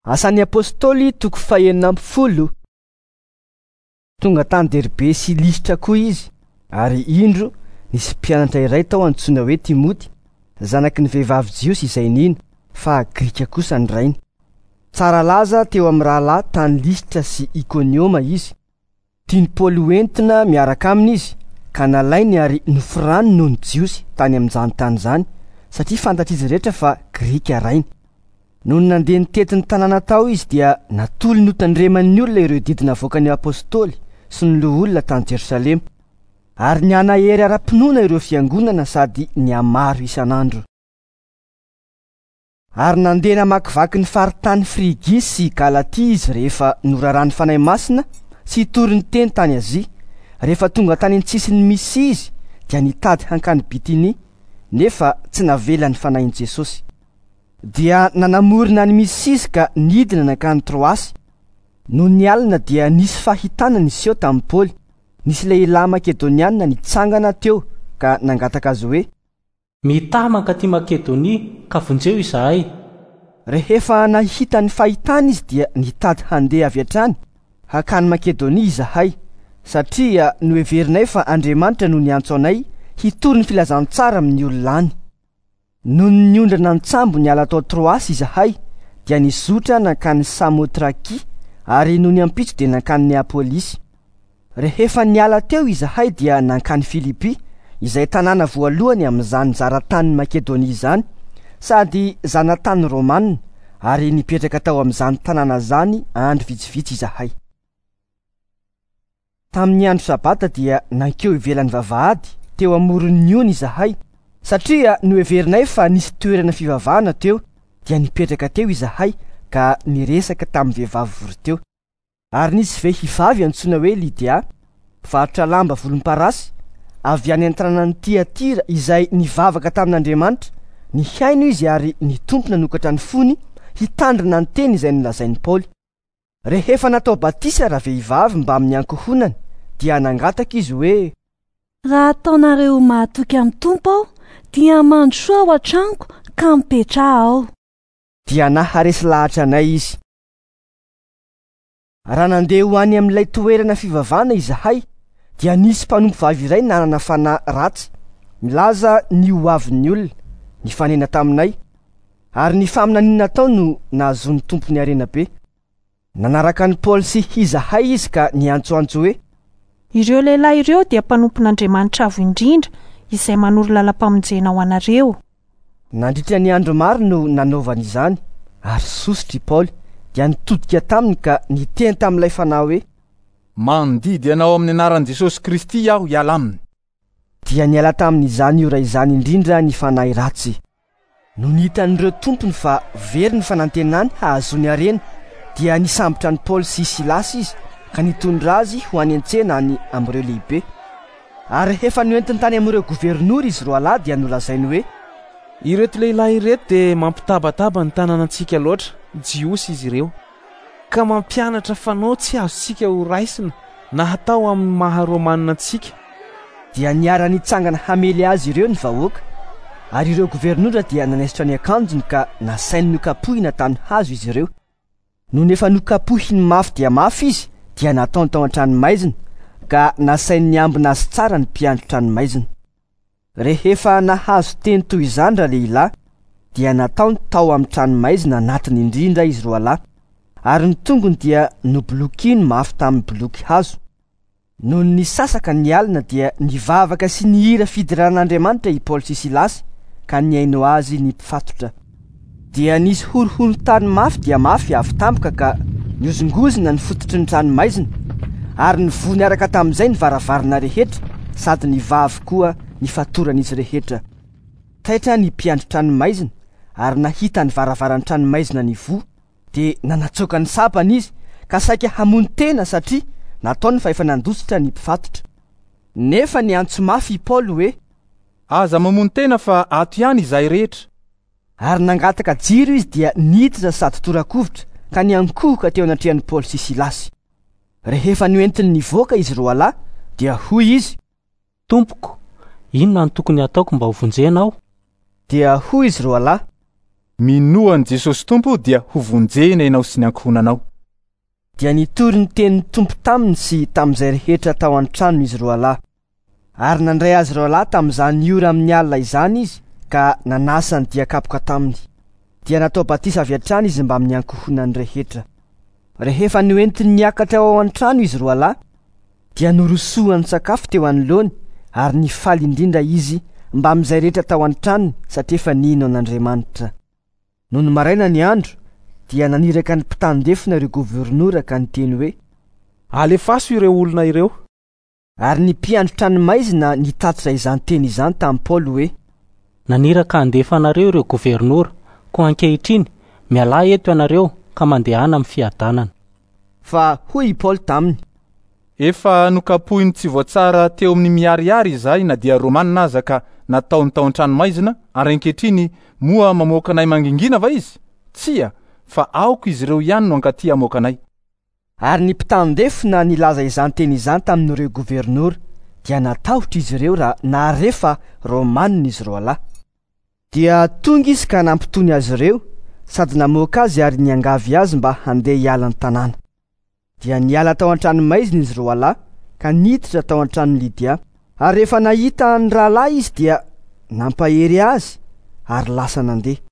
Asan'ny Apostoly toko fahenina ambin'ny folo. Tonga tany Derbe sy Listra koa izy, ary indro nisy mpianatra iray tao antsoina hoe Timoty, zanaky ny vehivavy jiosy izay nino, fa grika kosa ny rainy. Tsara laza teo amin'ny rahalahy tany Listra sy Ikonioma izy. Tian'i Paoly hoentina miaraka aminy izy, ka nalainy ary noforany noho ny Jiosy tany amin'izany tany izany, satria fantatr'izy rehetra fa grika rainy. Nony nandeha nitety ny tanàna tao izy dia natolony hotandreman'ny olona ireo didy navoakan'ny apostoly sy ny loholona tany Jerosalema. Ary nihanahery ara-pinoana ireo fiangonana sady nihamaro isan'andro. Ary nandeha namakivaky ny faritany Frigia sy Galatia izy rehefa noraran'ny Fanahy Masina tsy hitory ny teny tany Azia. Rehefa tonga tany an-tsisin'i Mysia izy dia nitady hankany Bitinia, nefa tsy navelan'ny Fanahin'i Jesosy. Dia nanamorona an'i Mysia izy ka nidina nankany Troasy. Nony alina dia nisy fahitana niseho tamin'i Paoly. Nisy lehilahy makedonianina nitsangana teo ka nangataka azy hoe: Mitaha mankaty Makedonia ka vonjeo izahay. Rehefa nahita ny fahitana izy dia nitady handeha avy hatrany hankany Makedonia izahay, satria noheverinay fa Andriamanitra no niantso anay hitory ny filazantsara amin'ny olona any. Nony niondrana an-tsambo niala tao Troasy izahay dia nizotra nankany Samotrakia, ary nony ampitso dia nankany Neapolisy. Rehefa niala teo izahay dia nankany Filipy, izay tanàna voalohany amin'izany zaratanin'i Makedonia izany, sady zanatany romanina, ary nipetraka tao amin'izany tanàna izany andro vitsivitsy izahay. Tamin'ny andro sabata dia nankeo ivelan'ny vavahady teo amoron'ny ony izahay, satria noheverinay fa nisy toerana fivavahana teo, dia nipetraka teo izahay ka niresaka tamin'ny vehivavy vory teo. Ary nisy vehivavy antsoina hoe Lydia, mpivarotra lamba volomparasy, avy any an-tanànan'i Tiatira izay nivavaka tamin'Andriamanitra. Nihaino izy ary ny Tompo nanokatra ny fony hitandrina ny teny izay nolazain'i Paoly. Rehefa natao batisa ravehivavy mbamin'ny ankohonany dia nangataka izy hoe: Raha ataonareo ho mahatoky amin'ny Tompo aho, dia mandrosoa ao an-tranoko ka mipetraha ao. Dia naharesy lahatra anay izy. Raha nandeha ho any amin'ilay toerana fivavahana izahay dia nisy mpanompovavy iray nanana fanahy ratsy milaza ny ho avin'ny olona nifanena taminay, ary ny faminaniana natao no nahazoan'ny tompony harena be. Nanaraka an'i Paoly sy izahay izy ka niantsoantso hoe: Ireo lehilahy ireo dia mpanompon'Andriamanitra Avo Indrindra izay manoro lalam-pamonjena ho anareo. Nandritra ny andro maro no nanaovany izany, ary sosotra i Paoly dia nitodika taminy ka niteny tamin'ilay fanahy hoe: Mandidy anao amin'ny anaran'i Jesosy Kristy aho hiala aminy. Dia niala tamin'izany ora izany indrindra ny fanahy ratsy. Nony hitan'ireo tompony fa very ny fanantenany hahazoany harena, dia nisambotra an'i Paoly sy Silasy izy ka nitondra azy ho any an-tsena any amin'ireo lehibe. Ary rehefa noentiny tany amin'ireo governora izy roalahy dia nolazainy hoe: Ireto lehilahy ireto dia mampitabataba ny tanànantsika loatra, Jiosy izy ireo, ka mampianatra fanao tsy azontsika ho raisina na hatao amin'ny maha romanina antsika. Dia niara-nitsangana hamely azy ireo ny vahoaka, ary ireo governora dia nanaisotra ny akanjony ka nasainy nokapohina tamin'ny hazo izy ireo. Nony efa nokapohiny mafy dia mafy izy dia nataony tao an-tranomaizina, ka nasainy niambina azy tsara ny mpiandry tranomaizina. Rehefa nahazo teny toy izany ralehilahy, dia nataony tao amin'ny tranomaizina anatiny indrindra izy roalahy, ary ny tongony dia nobolokiny mafy tamin'ny boloky hazo. Nony nisasaka ny alina dia nivavaka sy nihira fideran'Andriamanitra i Paoly sy Silasy ka nihaino azy ny mpifatotra. Dia nisy horohoron-tany mafy dia mafy avy tampoka ka nihozongozona ny fototry ny tranomaizina, ary nivoha niaraka tamin'izay ny varavarana rehetra sady nivaha avokoa ny fatoran'izy rehetra. Taitra ny mpiandry tranomaizina ary nahita ny varavaran'ny tranomaizina nivoha, dia nanatsoaka ny sabany izy ka saika hamono tena satria nataony fa efa nandositra ny mpifatotra. Nefa niantso mafy i Paoly hoe: Aza mamono tena fa ato ihany izahay rehetra. Ary nangataka jiro izy dia niditra sady tora-kovitra ka niankohoka teo anatrehan'i Paoly sy Silasy. Rehefa noentiny nivoaka izy roalahy dia hoy izy: Tompoko, inona no tokony hataoko mba hovonjena aho? Dia hoy izy roalahy: Minoa an'i Jesosy Tompo dia hovonjena ianao sy ny ankohonanao. Dia nitory ny tenin'ny Tompo taminy sy tamin'izay rehetra tao an-tranony izy roalahy. Ary nandray azy roalahy tamin'izany ora amin'ny alina izany izy ka nanasa ny dian-kapoka taminy. Dia natao batisa avy hatrany izy mbamin'ny ankohonany rehetra. Rehefa noentiny niakatra ao an-trano izy roalahy, dia norosoany sakafo teo anoloany ary nifaly indrindra izy mbamin'izay rehetra tao an-tranony satria efa nino an'Andriamanitra. Nony maraina ny andro, dia naniraka ny mpitandefona ireo governora ka niteny hoe: Alefaso ireo olona ireo. Ary ny mpiandry tranomaizina nitatitra izany teny izany tamin'i Paoly hoe: Naniraka handefa anareo ireo governora, koa ankehitriny, mialà eto ianareo ka mandehana amin'ny fiadanana. Fa hoy i Paoly taminy: Efa nokapohiny tsy voatsara teo amin'ny miharihary izahay na dia Romanina aza ka nataony tao an-tranomaizina, ary ankehitriny moa mamoaka anay mangingina va izy? Tsia, fa aoka izy ireo ihany no hankaty hamoaka anay. Ary ny mpitandefona nilaza izany teny izany tamin'ireo governora, dia natahotra izy ireo raha nahare fa Romanina izy roalahy. Dia tonga izy ka nampitony azy ireo sady namoaka azy ary niangavy azy mba handeha hiala ny tanàna. Dia niala tao an-tranomaizina izy roalahy ka niditra tao an-tranon'i Lydia. Ary rehefa nahita ny rahalahy izy dia nampahery azy ary lasa nandeha.